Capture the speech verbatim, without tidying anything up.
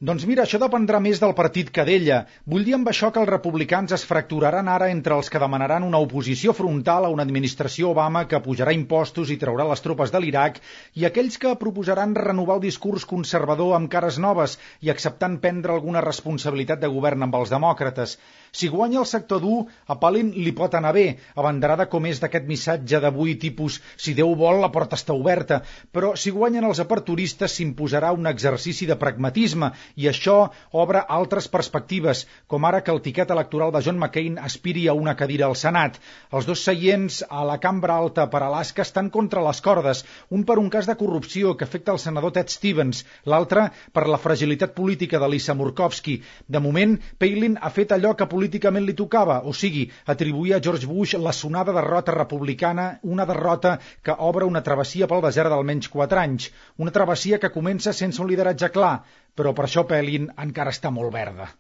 Doncs mira, això dependrà més del partit que d'ella. Vull dir amb això que els republicans es fracturaran ara entre els que demanaran una oposició frontal a una administració Obama que pujarà impostos i traurà les tropes de l'Iraq i aquells que proposaran renovar el discurs conservador amb cares noves i acceptant prendre alguna responsabilitat de govern amb els demòcrates. Si guanya el sector dur, a Palin li pot anar bé, abanderada com és d'aquest missatge d'avui tipus «si Déu vol, la porta està oberta», però si guanyen els aperturistes s'imposarà un exercici de pragmatisme i això obre altres perspectives, com ara que el tiquet electoral de John McCain aspiri a una cadira al Senat. Els dos seients a la cambra alta per Alaska estan contra les cordes, un per un cas de corrupció que afecta el senador Ted Stevens, l'altre per la fragilitat política de Lisa Murkowski. De moment, Palin ha fet allò que políticament li tocava, o sigui, atribuir a George Bush la sonada derrota republicana, una derrota que obre una travessia pel desert d'almenys quatre anys, una travessia que comença sense un lideratge clar, però per això Palin encara està molt verda.